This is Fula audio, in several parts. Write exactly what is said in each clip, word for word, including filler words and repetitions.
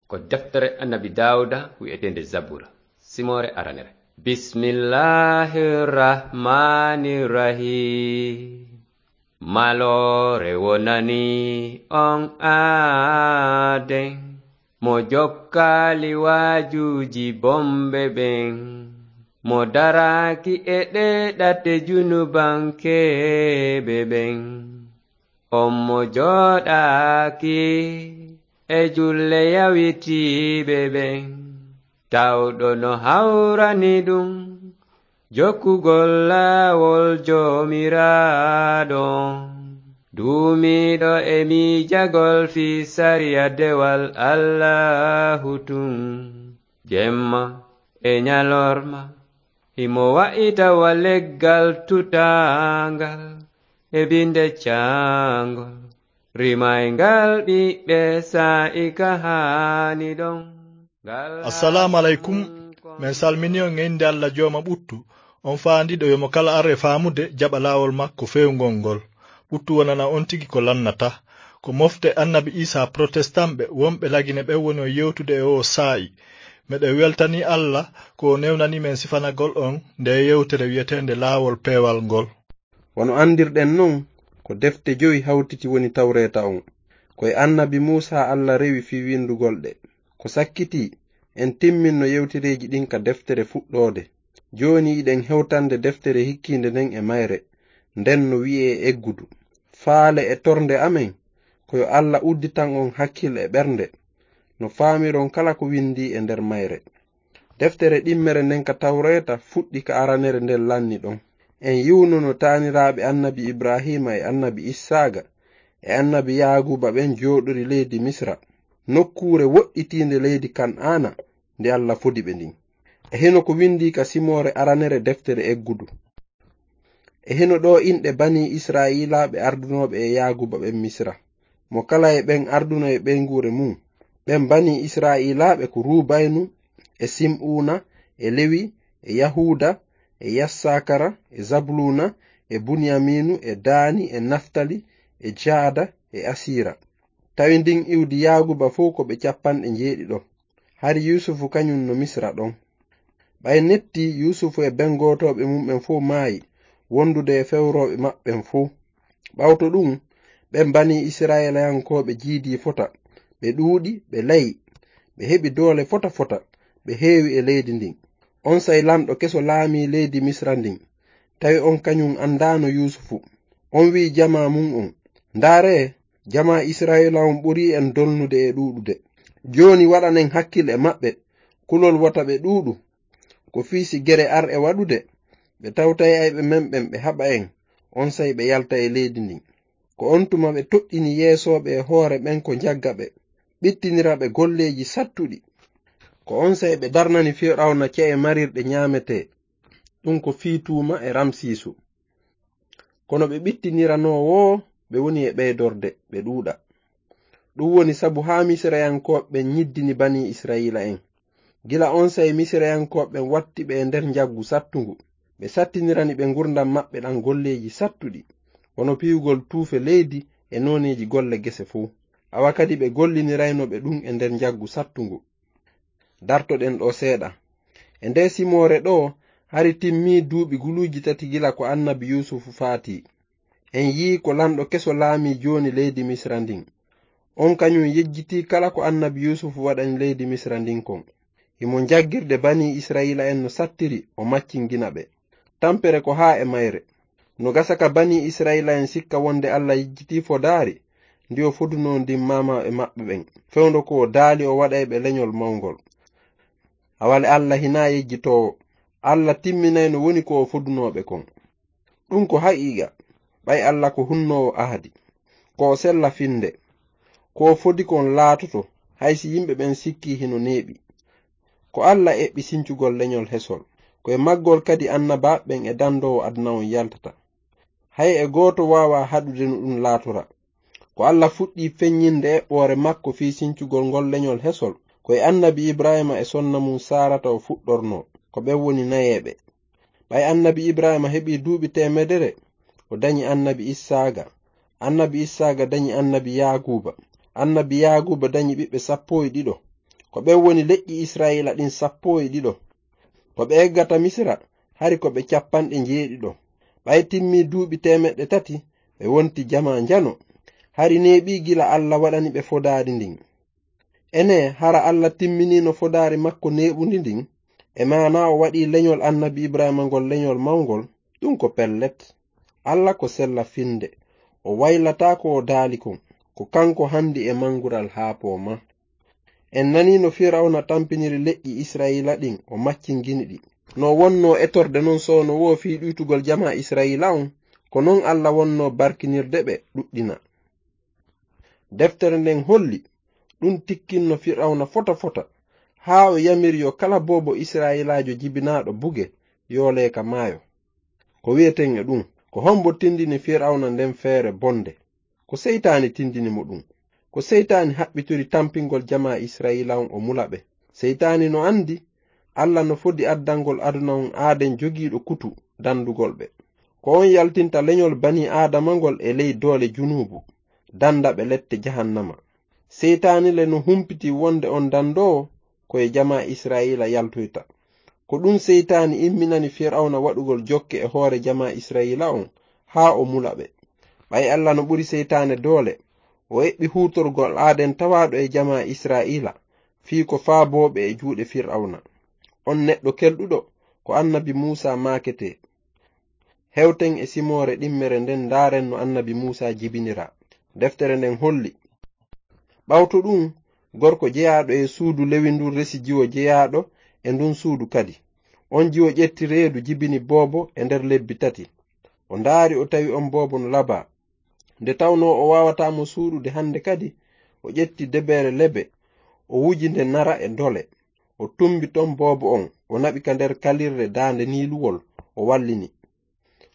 Ko deftere Annabi Daawuda wi'eteende Zabura, simoore aranere. Bismillahir Rahmanir Rahim. Maloore wonani on aaden, mo jokkaali waajuuji bonɓe ɓen, mo daraaki e ɗee ɗate junubankeeɓe ɓen. On mo jooɗaaki e julle yawitiiɓe ɓen, tawɗo no hawrani ɗum jokkugol laawol Joomiraaɗo. Duumiiɗo e miijagol fii sariya dewal Allaahu tun, jemma e ñalorma, himo wa'ita wa leggal tutaangal e binde caangol, rimayngal ɓiɓɓe saa'i ka haani ɗon. Ngal Assalaamu aleykum. Men salmini on e innde Alla Jooma ɓuttu, on faandiiɗo yo mo kala ar e faamude jaɓa laawol makko feewngol ngol. Ɓuttu wonana on tigi ko lannata. Ko mofte Annabi Iisaa Protestant ɓe wonɓe Lagine ɓen woni on yewtude e oo saa'i. Meɗen weltanii Alla ko o newnanii men sifanagol on ndee yewtere wi'eteende Laawol Peewal ngol. Wano anndirɗen non, ko defte jowi hawtiti woni Tawreeta on. Ko e Annabi Muusaa Alla rewi fii winndugol ɗe. Ko sakkitii, en timminno yewtereeji ɗin ka deftere Fuɗɗoode. Jooni hiɗen hewtande deftere hikkiinde nden e mayre, nden no wi'ee Eggudu. Faale e tornde amen, ko yo Alla udditan on hakkil e ɓernde, no faamiron kala ko winndii e nder mayre. Deftere ɗimmere nden ka Tawreeta fuɗɗi ka aranere nden lanni ɗon. En yi'uno no taaniraaɓe Annabi Ibraahiima e Annabi Issaaqa e Annabi Yaaquuba ɓen jooɗori leydi Misra, nokkuure woɗɗitiinde leydi Kan'aana, nde Alla fodi ɓe ndin. E hino ko winndii ka simoore aranere deftere Eggudu. E hino ɗoo inɗe banii Isra'iilaaɓe ardunooɓe e Yaaquuba ɓen Misra. Mo kala e ɓen arduno e ɓeynguure mun. Ɓen banii Isra'iilaaɓe ko Ruubaynu, e Sim'uuna, e Lewi, e Yahuuda, e Yassakara, e Zabluuna, e Bunyamiinu, e Daani, e Naftali, e Jaada, e Asiira. Tawi ndin iwdi Yaaquuba fow ko ɓe cappanɗe njeeɗiɗo. Hari Yuusufu kañun no Misra ɗon. Ɓay netti, Yuusufu e bengotooɓe mun ɓen fow maayi, wondude e fewrooɓe maɓɓen fow. Ɓawto ɗun, ɓen banii Isra'ilayankooɓe jiidii fota, ɓe ɗuuɗi, ɓe layi, ɓe heɓi doole fota fota, ɓe heewi e leydi ndin. Onsay lanɗo keso laamii leydi Misra ndin, tawi on kañun andaano Yuusufu. On wi'i jamaa mun on, "Ndaaree, jamaa Isra'iila on ɓurii en dolnude e ɗuuɗude. Jooni waɗanen hakkil e maɓɓe, kulol wota ɓe ɗuuɗu. Ko fii si gere ar e waɗude, ɓe tawtay ayɓe men ɓen ɓe haɓa en, onsay ɓe yalta e leydi ndin." Ko on tuma ɓe toɗɗini yeesooɓe e hoore ɓen ko njagga ɓe, ɓittinira ɓe golleeji sattuɗi. Ko onsay ɓe darnani Firawna ce'e marirɗe ñaametee, ɗun ko fii tuuma e Ramsiisu. Kono ɓe ɓittiniranoo woo, ɓe woni e ɓeydorde, ɓe ɗuuɗa. Ɗun woni sabu haa Misirayankooɓe ɓen nyiddini banii Isra'iila'en. Gila onsay Misirayankooɓe ɓen watti ɓe e nder njaggu sattungu. Ɓe sattinirani ɓe ngurndan maɓɓe ɗan golleeji sattuɗi, wano piyugol tuufe leydi e nooneeji golle gese fow. Awa kadi ɓe gollinirayno ɓe ɗun e nder njaggu sattungu. Dartoɗen ɗoo seeɗa. E ndee simoore ɗoo, hari timmii duuɓi guluuji tati gila ko annabi Yuusufu faatii. En yi'ii ko lanɗo keso laamii jooni leydi Misra ndin. On kañun yejjitii kala ko annabi Yuusufu waɗani leydi Misra ndin kon. Himo njaggirde banii Isra'iila'en no sattiri, o maccingina ɓe. Tampere ko haa e mayre. No gasa ka banii Isra'iila'en sikka wonde Alla yejjitii fodaari ndi o fodunoo ndin maamaaɓe maɓɓe ɓen, fewndo ko o daali o waɗay ɓe leñol mawngol. Awale Alla hinaa yejjitoowo. Alla timminay no woni ko o fodunoo ɓe kon. Ɗun ko haqiiqa, ɓay Alla ko hunnoowo ahadi. Ko o sella finnde. Ko o fodi kon laatoto, hay si yimɓe ɓen sikkii hino neeɓi. Ko Alla eɓɓi sincugol leñol hesol. Ko e maggol kadi annabaaɓe ɓen e dandoowo aduna on yaltata. Hay e gooto waawaa haɗude no ɗun laatora. Ko Alla fuɗɗii feññinde eɓɓoore makko fii sincugol ngol leñol hesol, ko e annabi Ibraahiima e sonna mun Saarata o fuɗɗornoo, ko ɓen woni nayeeɓe. Ɓay annabi Ibraahiima heɓii duuɓi teemedere, o dañi annabi Issaaqa. Annabi Issaaqa dañi annabi Yaaquuba. Annabi Yaaquuba dañi ɓiɓɓe sappo e ɗiɗo. Ko ɓen woni leƴƴi Isra'iila ɗin sappo e ɗiɗo. Ko ɓe eggata Misira, hari ko ɓe capanɗe njeeɗiɗo. Ɓay timmii duuɓi teemeɗɗe tati, ɓe wonti jamaa njano. Hari neeɓii gila Alla waɗani ɓe fodaari ndin. Enee, hara Alla timminiino fodaari makko neeɓundi ndin? E maanaa o waɗii leñol annabi Ibrahiima ngol leñol mawngol? Ɗun ko pellet. Alla ko sella finnde. O waylataa ko o daali kon. Ko kanko hanndi e mangural haa poomaa. En nanii no Firawna tampiniri leƴƴi Isra'iila ɗin, o maccingini ɗi. No wonnoo etorde non soono woo fii ɗuytugol jamaa Isra'iila on, ko non Alla wonnoo barkinirde ɓe ɗuɗɗina. Deftere nden holli, ɗun tikkinno Firawna fota fota, haa o yamiri yo kala boobo Isra'iilaajo jibinaaɗo buge, yoolee ka maayo. Ko wi'eten e ɗun, ko hombo tindini Firawna nden feere bonde? Ko Seytaani tindini mo ɗun. Ko Seytaani haɓɓitori tampingol jamaa Isra'iila on o mula ɓe. Seytaani no andi, Alla no fodi addangol aduna on aaden jogiiɗo kutu dandugol ɓe. Ko on yaltinta leñol banii Aadama ngol e ley doole junuubu, danda ɓe lette jahannama. Seytaani le no humpiti wonde on dandoowo ko e jamaa Isra'iila yaltoyta. Ko ɗun Seytaani imminani Firawna waɗugol jokke e hoore jamaa Isra'iila on, haa o mula ɓe. Ɓay Alla no ɓuri Seytaane doole, o eɓɓi huutorgol aaden tawaaɗo e jamaa Isra'iila, fii ko faabooɓe e juuɗe Firawna. On neɗɗo kelɗuɗo, ko annabi Muusaa maaketee. Hewten e simoore ɗimmere nden, ndaaren no annabi Muusaa jibiniraa. Deftere nden holli, ɓawto ɗun, gorko jeyaaɗo e suudu Lewi ndun resi jiwo jeyaaɗo e ndun suudu kadi. On jiwo ƴetti reedu jibini boobo e nder lebbi tati. O ndaari, o tawi on boobo no labaa. Nde tawnoo o waawataa mo suuɗude hande kadi, o ƴetti debeere lebe, o wuji nde nara e ndole. O tumbi ton boobo on, o naɓi ka nder kalirre daande niiluwol, o wallini.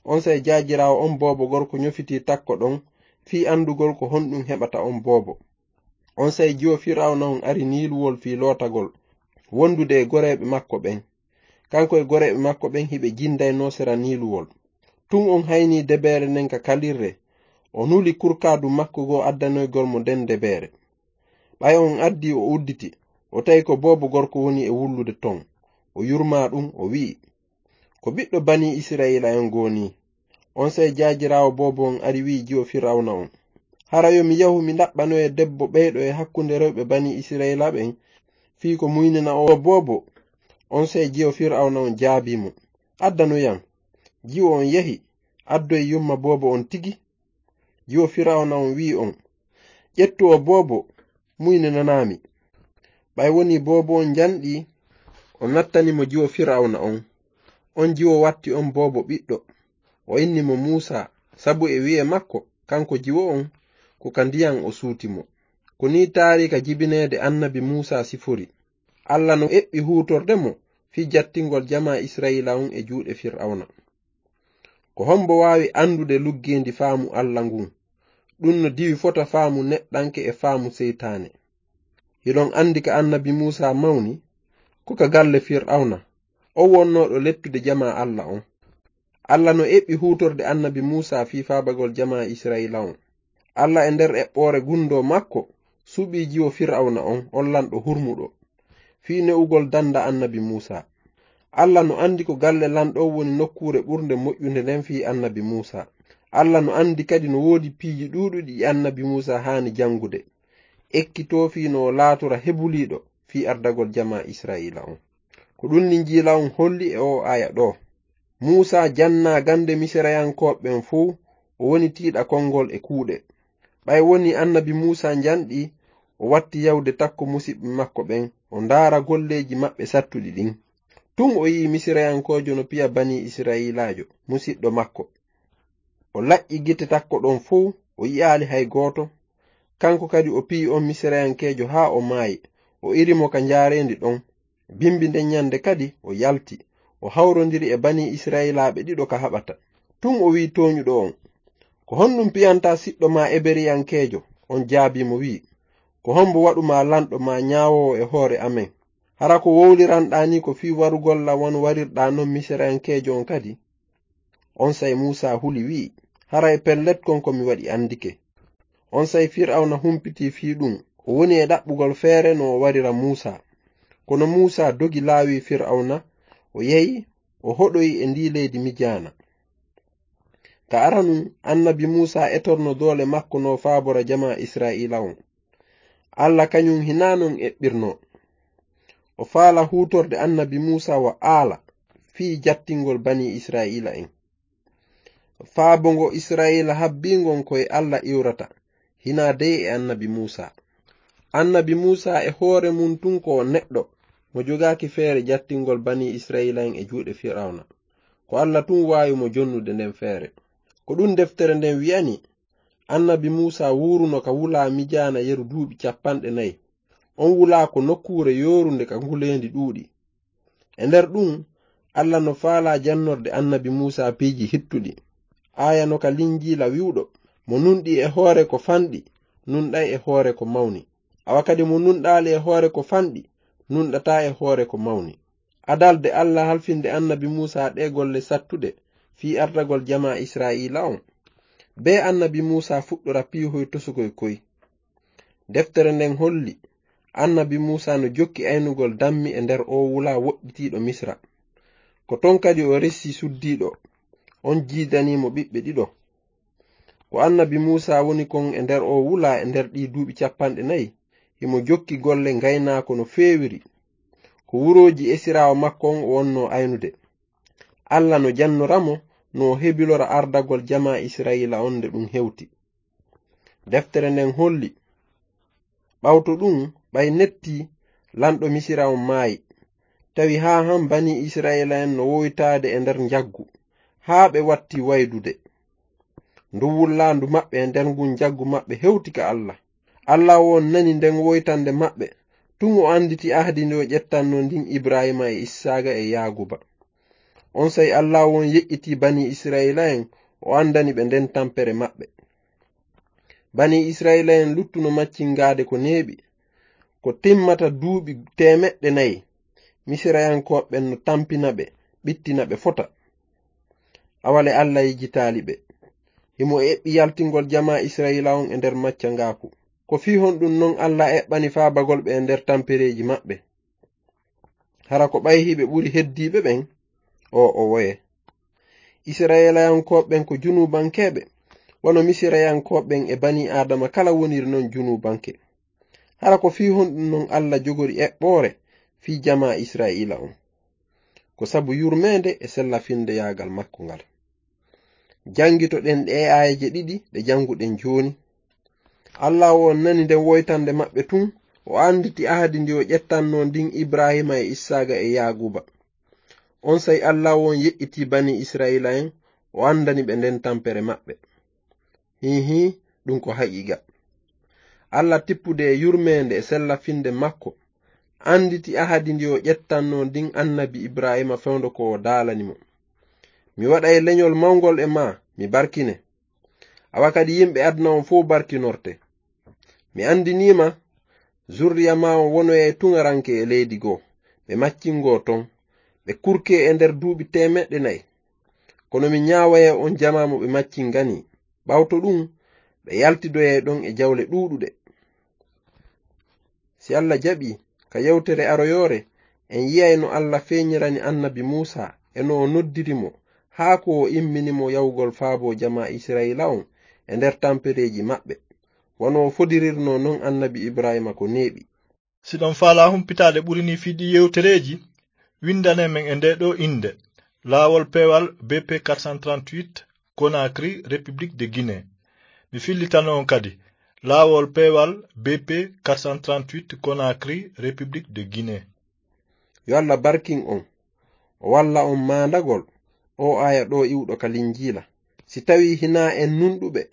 Onsay jaajiraawo on boobo gorko ñofitii takko ɗon fii andugol ko honɗun heɓata on boobo. Onsay jiwo Firawna on ari niiluwol fii lootagol, wondude e goreeɓe makko ɓen. Kanko e goreeɓe makko ɓen hiɓe jindaynoo sera niiluwol. Tun on haynii debeere nden ka kalirre, o nuli kurkaadu makko goo addanoygol mo nden debeere. Ɓay on addii, o udditi, o tawi ko boobo gorko woni e wullude ton. O yurmaa ɗun, o wi'i, "Ko ɓiɗɗo banii Isra'iila'en goo nii?" Onsay jaajiraawo boobo on ari wi'i jiwo Firawna on, "Hara yo mi yahu mi ndaɓɓanoya debbo ɓeyɗo e hakkunde rewɓe banii Isra'iila ɓen, fii ko muynina o boobo?" Onsay jiwo Firawna on jaabii mo, "Addanoyam." Jiwo on yahi, addoyi yumma boobo on tigi. Jiwo Firawna on wi'i on, "Ƴettu o boobo, muyninanaa mi." Ɓay wonii boobo on njanɗii, o nattani mo jiwo Firawna on. On jiwo watti on boobo ɓiɗɗo. O inni mo Muusaa, sabu e wi'e makko, kanko jiwo on, ko ka ndiyan o suuti mo. Ko nii taariika jibineede annabi Muusaa sifori. Alla no eɓɓi huutorde mo fii jattingol jamaa Isra'iila on e juuɗe Firawna. Ko hombo waawi andude luggeendi faamu Alla ngun? Ɗun no diwi fota faamu neɗɗanke e faamu seytaane. Hiɗon andi ka annabi Muusaa mawni? Ko ka galle Firawna, o wonnooɗo lettude jamaa Alla on. Alla no eɓɓi huutorde annabi Muusaa fii faabagol jamaa Isra'iila on. Alla e nder eɓɓoore gundoo makko suɓii jiwo Firawna on, on lanɗo hurmuɗo, fii ne'ugol danda annabi Muusaa. Alla no andi ko galle lanɗo on woni nokkuure ɓurnde moƴƴunde nden fii annabi Muusaa. Alla no andi kadi no woodi piiji ɗuuɗuɗi ɗi annabi Muusaa haani jangude, ekkitoo fii no o laatora hebuliiɗo fii ardagol jamaa Isra'iila on. Ko ɗun Linjiila on holli e oo aaya ɗoo. Muusaa jannaa gande Misirayankooɓe ɓen fow, o woni tiiɗa konngol e kuuɗe. Ɓay wonii annabi Muusaa njanɗii, o watti yahude takko musiɓɓe makko ɓen, o ndaara golleeji maɓɓe sattuɗi ɗin. Tun o yi'i Misirayankoojo no piya banii Isra'iilaajo, musiɗɗo makko. O laƴƴi gite takko ɗon fow, o yi'aali hay gooto. Kanko kadi o piyi on Misirayankeejo haa o maayi, o iri mo ka njaareendi ɗon. Bimbi nden ɲande kadi o yalti, o hawrondiri e banii Isra'iilaaɓe ɗiɗo ka haɓata. Tun o wi'i tooɲuɗo on, "Ko honɗun piyantaa siɗɗo maa Eberiyankeejo?" On jaabii mo wi'i, "Ko hombo waɗu maa lanɗo maa ɲaawoowo e hoore amen? Hara ko wowliranɗaa nii ko fii warugol lan wano warirɗaa non Misirayankeejo on kadi?" Onsay Muusaa huli wi'i, "Haray pellet kon ko mi waɗi andike." Onsay Fir'awna humpitii fii ɗun, o woni e ɗaɓɓugol feere no o warira Muusaa. Kono Muusaa dogi laawi Fir'awna, o yehi, o hoɗoyi e ndii leydi Mijaana. Ka aranun, annabi Muusaa etorno doole makko no faabora jamaa Israa'iila on. Alla kañun hinaa non eɓɓirnoo. O faala huutorde annabi Muusaa wa aala fii jattingol banii Israa'iila en. Faabo ngo Israa'iila habbii ngon ko e Alla iwrata, hinaa dey e annabi Muusaa. Annabi Muusaa e hoore mun tun ko o neɗɗo, mo jogaaki feere jattingol banii Israa'iila en e juuɗe Fir'awna. Ko Alla tun waawi mo jonnude nden feere. Ko ɗun deftere nden wi'ani, annabi Muusaa wuuruno ka wulaa Mijaana yeru duuɓi cappanɗe nayi. On wulaa ko nokkuure yoorunde ka nguleendi ɗuuɗi. E nder ɗun, Alla no faalaa jannorde annabi Muusaa piiji hittuɗi. Aaya no ka Linjiila wi'uɗo, "Mo nunɗi e hoore ko fanɗi, nunɗay e hoore ko mawni. Awa kadi mo nunɗaali e hoore ko fanɗi, nunɗataa e hoore ko mawni." Adalde Alla halfinde annabi Muusaa ɗee golle sattuɗe fii ardagol jamaa Israa'iila on, bee annabi Muusaa fuɗɗora piihoy tosukoy koy. Deftere nden holli, annabi Muusaa no jokki aynugol dammi e nder oo wulaa woɗɗitiiɗo Misra. Ko ton kadi o resi suddiiɗo, on jiidanii mo ɓiɓɓe ɗiɗo. Ko annabi Muusaa woni kon e nder oo wulaa e nder ɗii duuɓi cappanɗe nayi, himo jokki golle ngaynaako no feewiri. Ko wurooji esiraawo makko on o wonnoo aynude. Alla no jannora mo no o hebilora ardagol jamaa Israa'iila on nde ɗun hewti. Deftere nden holli, ɓawto ɗun, ɓay netti, lanɗo Misira on maayi. Tawi haa han banii Israa'iila en no woytaade e nder njaggu, haa ɓe watti waydude. Ndu wullaandu maɓɓe e nder ngun njaggu maɓɓe hewti ka Alla. Alla on nani nden woytande maɓɓe, tun o anditi ahdi ndi o ƴettanno ndin Ibraahiima e Issaaqa e Yaaquuba. Onsay Alla on yeƴƴitii banii Israa'iila en, o andani ɓe nden tampere maɓɓe. Banii Israa'iila en luttuno maccingaade ko neeɓi, ko timmata duuɓi teemeɗɗe nayi. Misirayankooɓe ɓen no tampina ɓe, ɓittina ɓe fota. Awale Alla yejjitaali ɓe. Himo eɓɓi yaltingol jamaa Israa'iila on e nder maccangaaku. Ko fii honɗun non Alla eɓɓani faabagol ɓe e nder tampereeji maɓɓe? Hara ko ɓay hiɓe ɓuri heddiiɓe ɓen? O, o woye. Israa'iilayankooɓe ɓen ko junuubankeeɓe, wano Misirayankooɓe ɓen e banii Aadama kala woniri non junuubanke. Hara ko fii honɗun non Alla jogori eɓɓoore fii jamaa Israa'iila on? Ko sabu yurmeende e sella-findeyaagal makko ngal. Janngitoɗen ɗee aayeeje ɗiɗi ɗe jannguɗen jooni. Alla on nani nden woytande maɓɓe tun, o anditi ahadi ndi o ƴettanno ndin Ibraahiima e Issaaqa e Yaaquuba. Onsay Alla on yeƴƴitii banii Israa'iila en, o andani ɓe nden tampere maɓɓe. Hiihi, ɗun ko haqiiqa. Alla tippude e yurmeende e sella-finde makko, anditi ahadi ndi o ƴettanno ndin annabi Ibraahiima fewndo ko o daalani mo. Mi waɗay leñol mawngol e maa, mi barkine. Awa kadi yimɓe aduna on fow barkinorte. Mi andinii ma, zurriya maa on wonoyay tuŋaranke e leydi goo, ɓe maccingoo ton, ɓe kurkee e nder duuɓi teemeɗɗe nayi. Kono mi ñaawayay on jamaa mo ɓe maccinganii. Ɓawto ɗun, ɓe yaltidoyay ɗon e jawle ɗuuɗuɗe. Si Alla jaɓii, ka yewtere aroyoore, en yi'ay no Alla feeñirani annabi Muusaa e no o noddiri mo, haa ko o immini mo yawgol faaboo jamaa Israa'iila on e nder tampereeji maɓɓe, wano o fodirirnoo non annabi Ibraahiima ko neeɓi. Si ɗon faalaa humpitaade ɓuri nii fii ɗii yewtereeji, winndane men e ndee ɗoo innde, Laawol Peewal B P quatre cent trente-huit, Conakry, République de Guinée. Mi fillitano on kadi, Laawol Peewal B P quatre cent trente-huit, Conakry, République de Guinée. Yo Alla barkin on, o walla on maandagol oo aaya ɗoo iwɗo ka Linjiila. Si tawii hinaa en nunɗuɓe,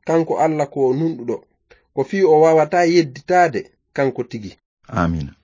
kanko Alla ko o nunɗuɗo, ko fii o waawataa yedditaade kanko tigi. Aamiina.